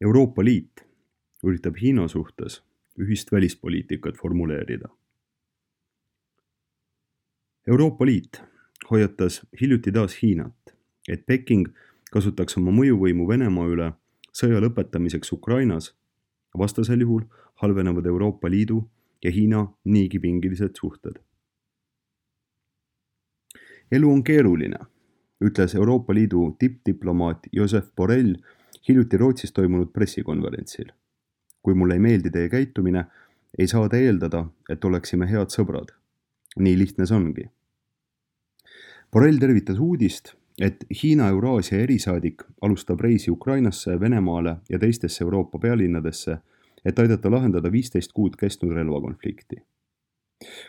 Euroopa Liit üritab Hiina suhtes ühist välispoliitikat formuleerida. Euroopa Liit hoiatas hiljuti taas Hiinat, et Peking kasutaks oma mõjuvõimu Venemaa üle sõja lõpetamiseks Ukrainas, vastasel juhul halvenevad Euroopa Liidu ja Hiina niigi pingilised suhted. Elu on keeruline, ütles Euroopa Liidu tippdiplomaat Josep Borrell hiljuti Rootsis toimunud pressikonverentsil. Kui mulle ei meeldi teie käitumine, ei saa te eeldada, et oleksime head sõbrad. Nii lihtne see ongi. Borrell tervitas uudist, et Hiina Euraasia erisaadik alustab reisi Ukrainasse, Venemaale ja teistesse Euroopa pealinnadesse, et aidata lahendada 15 kuud kestnud relvakonflikti.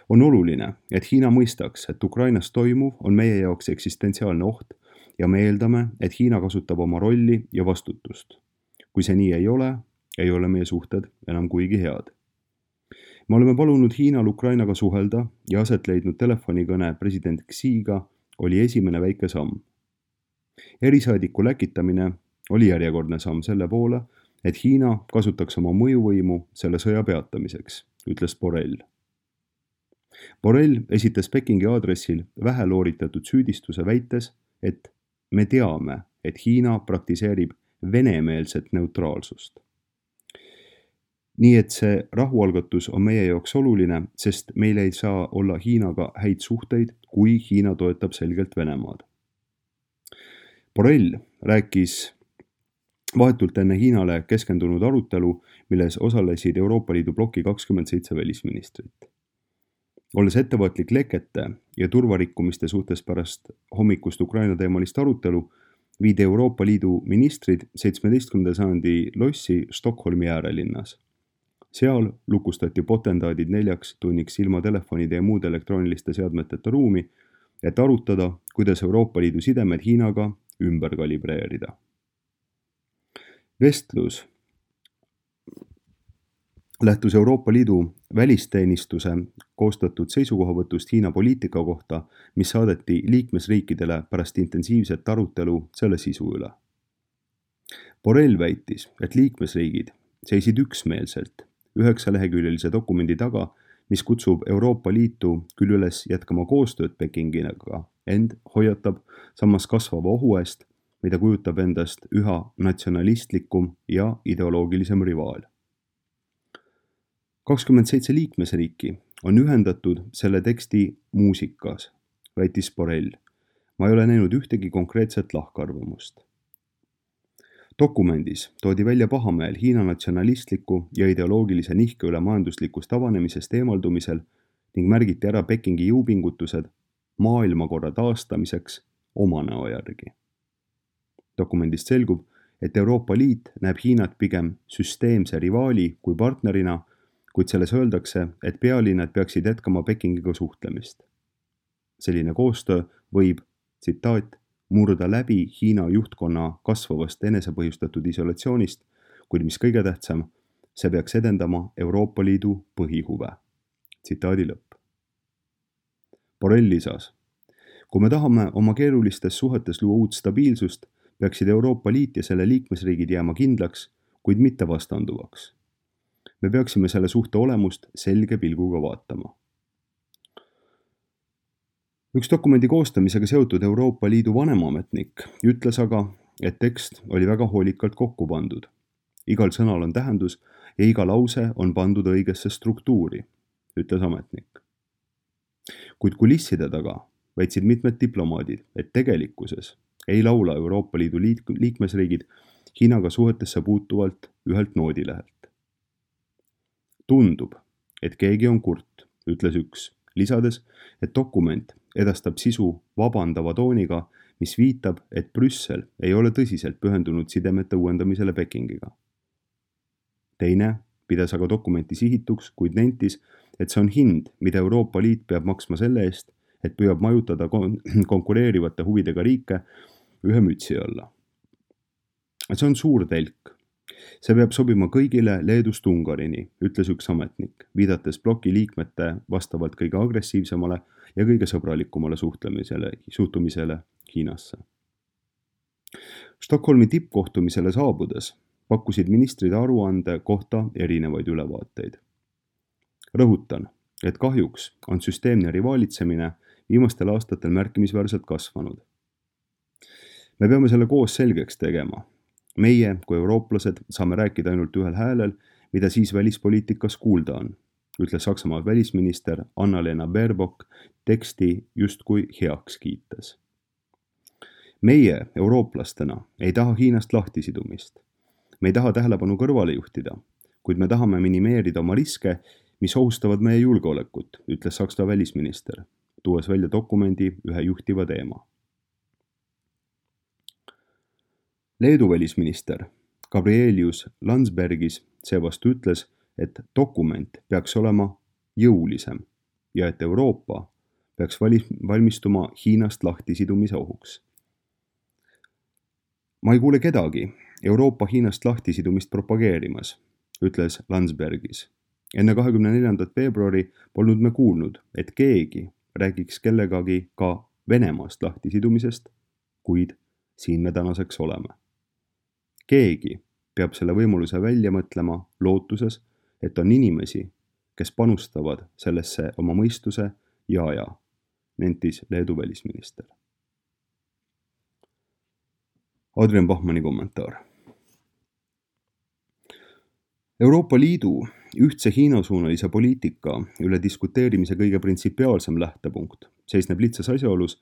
On oluline, et Hiina mõistaks, et Ukrainas toimuv on meie jaoks eksistentsiaalne oht ja me eeldame, et Hiina kasutab oma rolli ja vastutust. Kui see nii ei ole meie suhted enam kuigi head. Me oleme palunud Hiinal Ukrainaga suhelda ja aset leidnud telefonikõne president Xiga oli esimene väike samm. Erisaadiku läkitamine oli järjekordne samm selle poole, et Hiina kasutaks oma mõjuvõimu selle sõja peatamiseks, ütles Borrell. Borrell esitas Pekingi aadressil vähelooritatud süüdistuse väites, et me teame, et Hiina praktiseerib venemeelset neutraalsust. Nii et see rahualgatus on meie jaoks oluline, sest meil ei saa olla Hiinaga häid suhteid, kui Hiina toetab selgelt Venemaad. Borrell rääkis vahetult enne Hiinale keskendunud arutelu, milles osalesid Euroopa Liidu bloki 27 välisministrit. Olles ettevaatlik lekete ja turvarikkumiste suhtes pärast hommikust Ukraina teemalist arutelu, viidi Euroopa Liidu ministrid 17. sajandi lossi Stockholmi äärelinnas. Seal lukustati potendaadid 4 tunniks ilma telefonide ja muude elektrooniliste seadmeteta ruumi, et arutada, kuidas Euroopa Liidu sidemed Hiinaga ümber kalibreerida. Vestlus lähtus Euroopa Liidu välisteenistuse koostatud seisukohavõtust Hiina poliitika kohta, mis saadeti liikmesriikidele pärast intensiivset arutelu selle sisu üle. Borrell väitis, et liikmesriigid seisid üksmeelselt 9-leheküljelise dokumendi taga, mis kutsub Euroopa Liitu küll üles jätkama koostööd Pekingiga, ent hoiatab samas kasvava ohu eest, mida kujutab endast üha natsionalistlikum ja ideoloogilisem rivaal. 27 liikmesriiki on ühendatud selle teksti muusikas, väitis Borrell. Ma ei ole näinud ühtegi konkreetset lahkarvamust. Dokumendis toodi välja pahameel Hiina natsionalistliku ja ideoloogilise nihke üle majanduslikust avanemisest eemaldumisel ning märgiti ära Pekingi jõupingutused maailmakorra taastamiseks oma näo järgi. Dokumendist selgub, et Euroopa Liit näeb Hiinat pigem süsteemse rivaali kui partnerina, kuid selles öeldakse, et pealinnad peaksid jätkama Pekingiga suhtlemist. Selline koostöö võib, tsitaat, murda läbi Hiina juhtkonna kasvavast enesepõhjustatud isolatsioonist, kuid mis kõige tähtsam, see peaks edendama Euroopa Liidu põhihuve. Tsitaadi lõpp. Borrell lisas, kui me tahame oma keerulistes suhetes luua uut stabiilsust, peaksid Euroopa Liit ja selle liikmesriigid jääma kindlaks, kuid mitte vastanduvaks. Me peaksime selle suhte olemust selge pilguga vaatama. Üks dokumendi koostamisega seotud Euroopa Liidu vanemametnik ütles aga, et tekst oli väga hoolikalt kokku pandud. Igal sõnal on tähendus ja iga lause on pandud õigesse struktuuri, ütles ametnik. Kuid kulisside taga väitsid mitmed diplomaadid, et tegelikkuses ei laula Euroopa Liidu liikmesriigid Hiinaga suhetesse puutuvalt ühelt noodilehelt. Tundub, et keegi on kurt, ütles üks, lisades, et dokument edastab sisu vabandava tooniga, mis viitab, et Brüssel ei ole tõsiselt pühendunud sidemete uuendamisele Pekingiga. Teine pidas aga dokumenti sihituks, kuid nentis, et see on hind, mida Euroopa Liit peab maksma selle eest, et püüab majutada konkureerivate huvidega riike ühe mütsi alla. See on suur telk. See peab sobima kõigile Leedust Ungarini, ütles üks ametnik, viidates bloki liikmete vastavalt kõige agressiivsemale ja kõige sõbralikumale suhtumisele Hiinasse. Stockholmi tippkohtumisele saabudes pakkusid ministrid aruande kohta erinevaid ülevaateid. Rõhutan, et kahjuks on süsteemne rivaalitsemine viimastel aastatel märkimisväärselt kasvanud. Me peame selle koos selgeks tegema. Meie kui eurooplased saame rääkida ainult ühel häälel, mida siis välispoliitikas kuulda on, ütles Saksamaa välisminister Annalena Baerbock teksti justkui heaks kiites. Meie eurooplastena ei taha Hiinast lahtisidumist. Me ei taha tähelepanu kõrvale juhtida, kuid me tahame minimeerida oma riske, mis ohustavad meie julgeolekut, ütles Saksa välisminister, tuues välja dokumendi ühe juhtiva teema. Leedu välisminister Gabrielius Landsbergis seevastu ütles, et dokument peaks olema jõulisem ja et Euroopa peaks valmistuma Hiinast lahtisidumise ohuks. Ma ei kuule kedagi Euroopa Hiinast lahtisidumist propageerimas, ütles Landsbergis. Enne 24. veebruari polnud me kuulnud, et keegi räägiks kellegagi ka Venemaast lahtisidumisest, kuid siin me tänaseks oleme. Keegi peab selle võimaluse välja mõtlema lootuses, et on inimesi, kes panustavad sellesse oma mõistuse ja aja, nentis Leedu välisminister. Adrian Bachmanni kommentaar. Euroopa Liidu ühtse Hiina-suunalise poliitika üle diskuteerimise kõige printsipiaalsem lähtepunkt seisneb lihtsas asjaolus,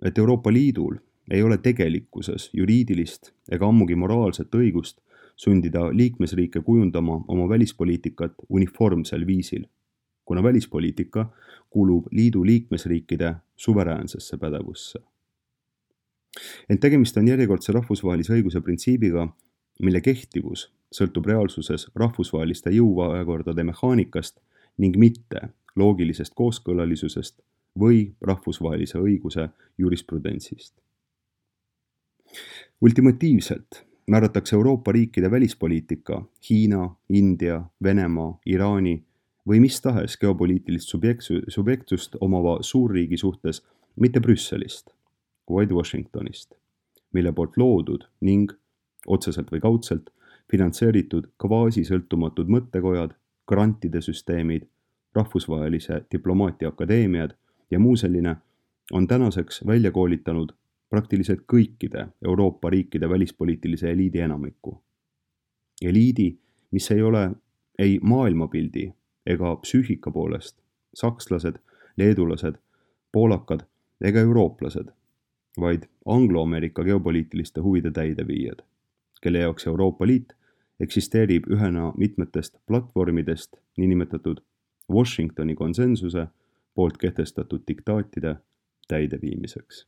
et Euroopa Liidul ei ole tegelikkuses juriidilist ega ammugi moraalset õigust sundida liikmesriike kujundama oma välispoliitikat uniformsel viisil, kuna välispoliitika kuulub liidu liikmesriikide suveräänsesse pädevusse. Ent tegemist on järjekordse rahvusvahelise õiguse printsiibiga, mille kehtivus sõltub reaalsuses rahvusvaheliste jõuvahekordade mehaanikast ning mitte loogilisest kooskõlalisusest või rahvusvahelise õiguse jurisprudentsist. Ultimatiivselt määratakse Euroopa riikide välispoliitika Hiina, India, Venemaa, Iraani või mis tahes geopoliitilist subjektsust omava suurriigi suhtes mitte Brüsselist, vaid Washingtonist, mille poolt loodud ning otseselt või kaudselt finantseeritud kvaasisõltumatud mõttekojad, grantide süsteemid, rahvusvahelise diplomaatia akadeemiad ja muu selline on tänaseks välja koolitanud praktiliselt kõikide Euroopa riikide välispoliitilise eliidi enamikku. Eliidi, mis ei ole ei maailmapildi ega psüühika poolest sakslased, leedulased, poolakad ega eurooplased, vaid anglo-Ameerika geopoliitiliste huvide täideviijad, kelle jaoks Euroopa Liit eksisteerib ühena mitmetest platvormidest niinimetatud Washingtoni konsensuse poolt kehtestatud diktaatide täideviimiseks.